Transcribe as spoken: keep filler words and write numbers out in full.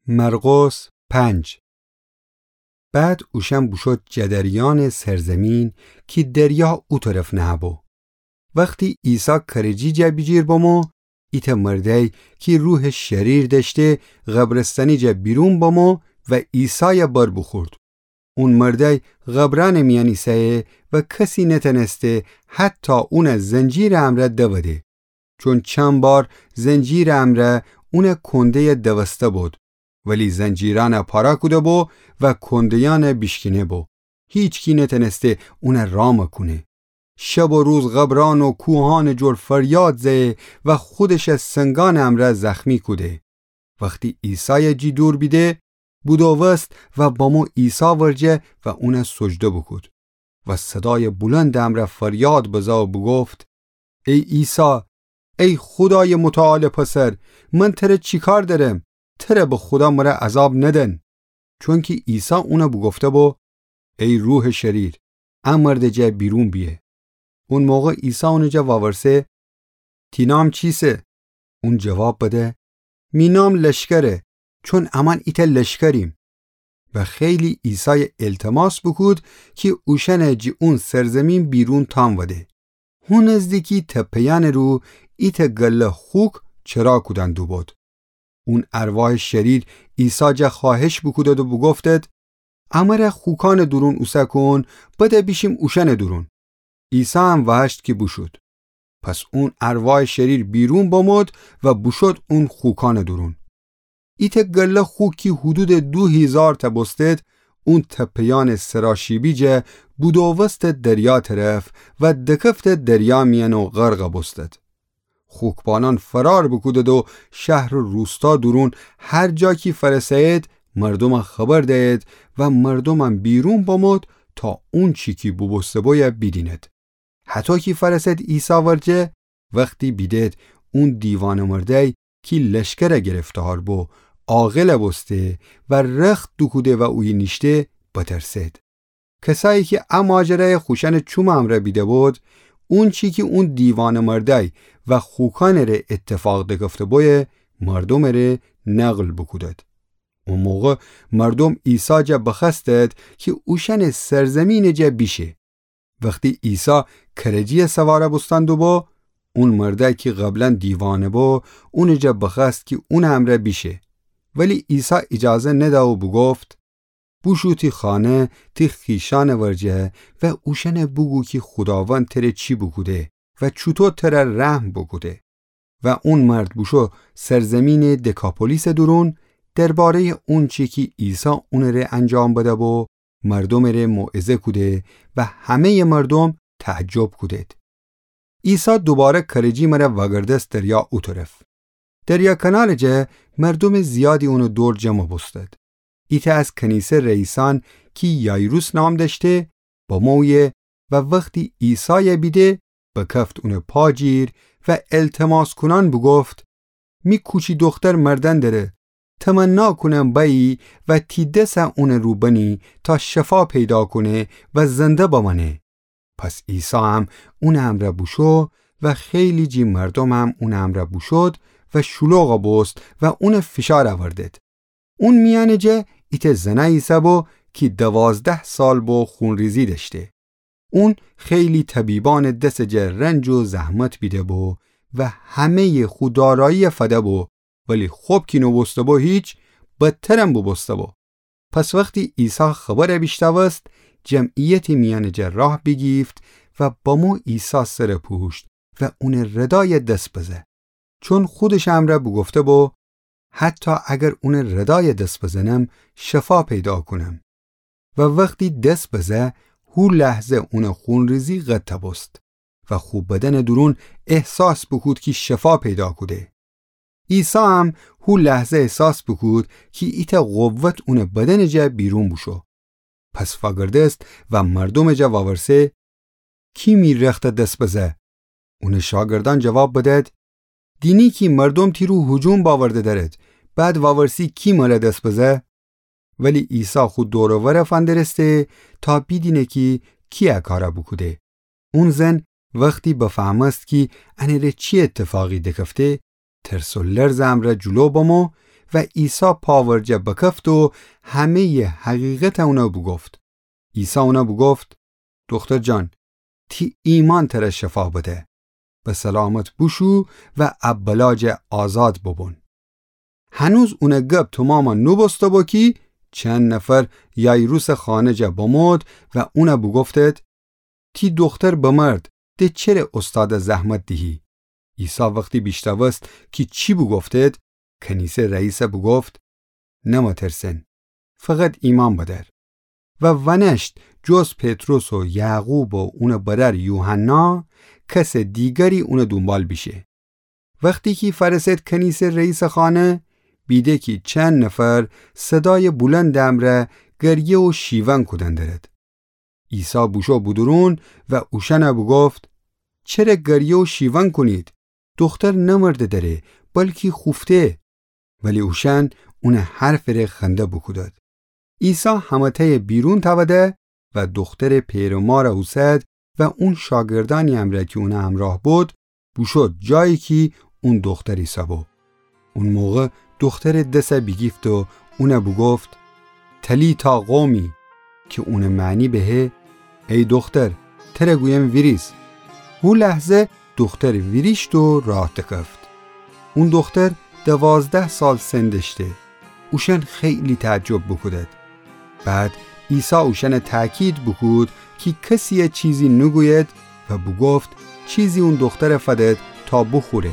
مرقس پنج. بعد اوشأن بوشود جٚه دریانٚ سرزیمین کی دریا او طرف نهه‌بو. وختی عیسی کرجی جا بیجیر بمو، ایتأ مردأی کی روحٚ شریر دأشته قبرستانی جا بیرون بمو و عیسای بر بوخورد. اون مردأی قبرأنٚ میأن ایسه‌یه و کسی نتأنسته حتی اون زنجیرٚ امرأ دوده. چون چند بار زنجیرٚ امرأ اون کنده‌ی دوسته بد، ولی زنجیرأن پاره کوده بو و کنده‌یأن بیشکینه بو. هیچکی نتأنسته اون رام کونه. شب و روز قبرأن و کوهأنٚ جور فریاد زه‌یه و خودش سنگأنٚ امرأ زخمی کوده. وختی عیسای جی دور بیده، بودووست و بمو عیسی ورجه و اون سجده بوکود و صدای بلندٚ امرأ فریاد بزه و بوگفت: ای عیسی، ای خودایٚ متعال پسر، من تر چی کار دأرم؟ تر به خودا مر عذاب ندن. چونکی عیسی اون بوگفته بو: ای روحٚ شریر، ا مردٚ جا بیرون بیه. اون موقع عیسی اونٚ جا وورسه: تی نام چیسه؟ اون جواب بده: می نام لشکره، چون امأن ایتأ لشکریم. و خیلی عیسای التماس بوکود کی اوشأن جی اون سرزیمین بیرون تأنوده. هو نزدیکی تپه‌یأنٚ رو ایتأ گله خوک چرا کودن دوبود. اون ارواحٚ شریر عیسی جا خوأهش بوکودد و بوگفتد: امر خوکأنٚ دورون اوسه کون، بده بیشیم اوشأنٚ دورون. عیسی هم وهشت کی بوشود. پس اون ارواحٚ شریر بیرون بمود و بوشود اون خوکأنٚ دورون. ایتأ گله خوک کی حدودٚ دو هیزارتأ بوستد، اون تپه‌یأنٚ سراشیبی جا بودووستد دریا طرف و دکفتد دریا میأن و غرق بوستد. خوکبانأن فرار بوکودد و شهر و روستا دورون هر جا کی فأرسه‌ید، مردوم خبر ده‌ید و مردومم بیرون بمود تا اونچی کی بوبوسته بویه بیدیند. هطو کی فأرسد عیسی ورجه، وختی بیدد اون دیوانه‌مردأی کی لشکر گرفتار بو، عاقل بوسته و رخت دوکوده و اویه نیشته، بترسد. کسایی کی ا ماجرای خوشأنٚ چومٚ امرأ بیده بود، اونچی کی اون دیوانه‌مردأی و خوکأنٚ ره ایتفاق دکفته بویه، مردومٚ ره نقل بوکودد. او موقع مردوم عیسی جا بخوأستد کی اوشأنٚ سرزیمینٚ جا بیشه. وختی عیسی کرجی سوار بوستن دوبو، اون مردأی کی قبلا دیوانه بو، اونٚ جا بخوأست کی اونٚ امرأ بیشه. ولی عیسی ایجازه نده و بوگفت: بوشو تی خانه، تی خویشأنٚ ورجه و اوشأن بوگو کی خوداوند تر چی بوکوده و چوطو تر رحم بوکوده. و اون مرد بوشو سرزیمینٚ دکاپولیسٚ دورون، درباره‌یٚ اونچی کی عیسی اونٚ ره انجام بده بو، مردومٚ ره موعظه کوده و همه‌یٚ مردوم تعجب کودد. عیسی دوباره کرجی مره وأگردست دریا او طرف. دریا کنارٚ جا مردومٚ زیادی اونٚ دور جمع بوستد. ایتأ از کنیسه رئیسأن کی یایروس نام دأشته، بمویه و وختی عیسای بیده، بکفت اونٚ پا جیر و التماس کونأن بوگفت: می کوچی دوختر مردن دره، تمنا کونم بأیی و تی دس اونٚ رو بنی تا شفا پیدا کونه و زنده بمأنه. پس عیسی هم اونٚ امرأ بوشو و خیلی جٚه مردومم اونٚ امرأ بوشود و شلوغ بوست و اونٚ فشار اوردد. اون میأنٚ جا ایتأ زنأی ایسه‌بو کی دوازده سال بو خونریزی دأشته. اون خیلی طبیبأنٚ دسٚ جا رنج و زحمت بیده‌بو و همه‌یٚ خو دارایی فده‌بو، ولی خب کی نوبوسته‌بو هیچ، بدترم بوبوسته‌بو. پس وختی عیسی خبر بیشنوست، جمعیتٚ میأنٚ جا راه بیگیفت و بمو عیسی سر پوشت و اونٚ ردای دس بزه. چون خودشٚ امرأ بوگفته‌بو: حتی اگر اونٚ ردای دس بزنم، شفا پیدا کونم. و وختی دس بزه، هو لحظه اونٚ خونریزی قطع بوست و خو بدنٚ دورون احساس بوکود کی شفا پیدا کوده. عیسی هم هو لحظه احساس بوکود کی ایتأ قوت اونٚ بدنٚ جا بیرون بوشو. پس وأگردست و مردومٚ جا وأورسه: کی می رخت دس بزه؟ اونٚ شاگردأن جواب بدد: دینی کی مردوم تی رو هجوم بأورده دأرد، بعد وأورسی کی مره دس بزه؟ ولی عیسی خو دور و ور فندرسته تا بیدینه کی کی ا کار بوکوده. اون زن وختی بفهمست کی انٚ ره چی ایتفاقی دکفته، ترس و لرزٚ امرأ جلو بمو و عیسی پا ورجه بکفت و همه‌یٚ حقیقت اون بوگفت. عیسی اون بوگفت: دوختر جان، تی ایمأن تر شفا بده. به سلامت بوشو و ا بلا جا آزاد بوبون. هنوز اونٚ گب تومام نوبوسته بو کی چند نفر یایروسٚ خانه جا بمود و اون بوگفتید: تی دوختر بمرد، د چره اوستاد زحمت دیهی؟ عیسی وختی بیشنوست کی چی بوگفتید، کنیسه رئیس بوگفت: نمترسن، فقط ایمأن بدأر. و ونشت جز پطرس و یعقوب و اونٚ برأر یوحنا، کسٚ دیگری اونٚ دونبال بیشه. وختی کی فأرسد کنیسه رئیسٚ خانه، بیده کی چند نفر صدایٚ بولندٚ امرأ گریه و شیون کودن درد. عیسی بوشو بودورون و اوشأن بوگفت: چره گریه و شیون کونید؟ دوختر نمرده دره، بلکی خوفته. ولی اوشأن اونٚ حرفٚ ره خنده بوکودد. عیسی همه‌تأ بیرون تأوده و دوخترٚ پئر و مار اوسد و اون شاگردأنی امرأ کی اونٚ همرأه بود، بوشود جایی کی اون دوختر ایسه‌بو. اون موقع دوخترٚ دس بیگیفت و اون بوگفت: تلیتا قومی، کی اونٚ معنی بهه: ای دوختر، تر گویم ویریز. هو لحظه دوختر ویریشت و راه دکفت. اون دوختر دوازده سال سن دأشته. اوشأن خیلی تعجب بوکودد. بعد عیسی اوشأن تأکید بوکود کی کسیی چیزی نوگوید و بوگفت چیزی اون دوختر فدد تا بوخوره.